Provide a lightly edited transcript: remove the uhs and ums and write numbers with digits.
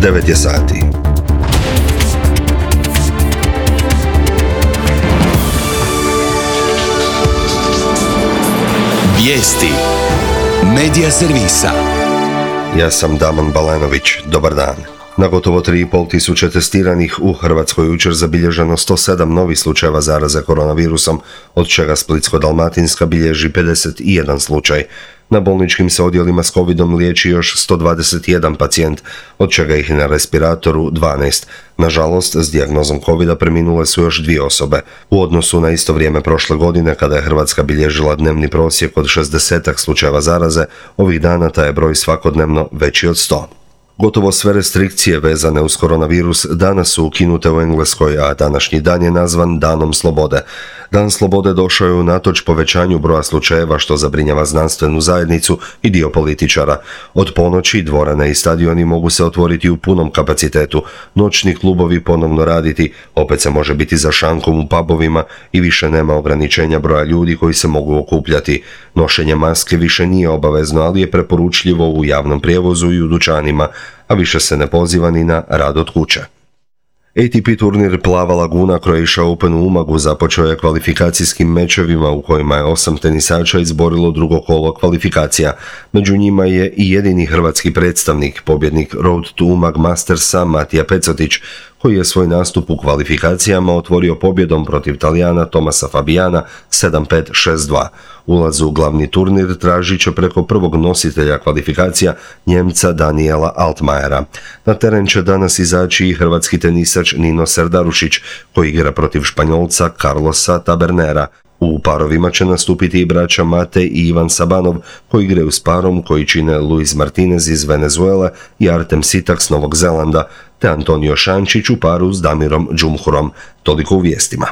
9 je sati. Vijesti Medija servisa. Ja sam Damon Balanović. Dobar dan. Na gotovo 3,5 tisuće testiranih u Hrvatskoj jučer zabilježeno 107 novih slučajeva zaraze koronavirusom, od čega Splitsko-dalmatinska bilježi 51 slučaj. Na bolničkim se odjelima s covidom liječi još 121 pacijent, od čega ih na respiratoru 12. Nažalost, s dijagnozom covida preminule su još 2 osobe. U odnosu na isto vrijeme prošle godine, kada je Hrvatska bilježila dnevni prosjek od 60 slučajeva zaraze, ovih dana taj je broj svakodnevno veći od 100. Gotovo sve restrikcije vezane uz koronavirus danas su ukinute u Engleskoj, a današnji dan je nazvan Danom slobode. Dan slobode došao je unatoč povećanju broja slučajeva, što zabrinjava znanstvenu zajednicu i dio političara. Od ponoći dvorane i stadioni mogu se otvoriti u punom kapacitetu, noćni klubovi ponovno raditi, opet se može biti za šankom u pubovima i više nema ograničenja broja ljudi koji se mogu okupljati. Nošenje maske više nije obavezno, ali je preporučljivo u javnom prijevozu i u dućanima, a više se ne poziva ni na rad od kuće. ATP turnir Plava laguna Croatia Open u Umagu započeo je kvalifikacijskim mečevima u kojima je 8 tenisača izborilo drugo kolo kvalifikacija. Među njima je i jedini hrvatski predstavnik, pobjednik Road to Umag Mastersa Matija Pecotić, koji je svoj nastup u kvalifikacijama otvorio pobjedom protiv Talijana Tomasa Fabijana 7-5-6-2. Ulaz u glavni turnir tražit će preko prvog nositelja kvalifikacija, Njemca Daniela Altmajera. Na teren će danas izaći i hrvatski tenisač Nino Serdarušić, koji igra protiv Španjolca Carlosa Tabernera. U parovima će nastupiti i braća Mate i Ivan Sabanov, koji igraju s parom koji čine Luis Martinez iz Venezuele i Artem Sitak s Novog Zelanda, te Antonio Šančić u paru s Damirom Džumhurom. Toliko u vijestima.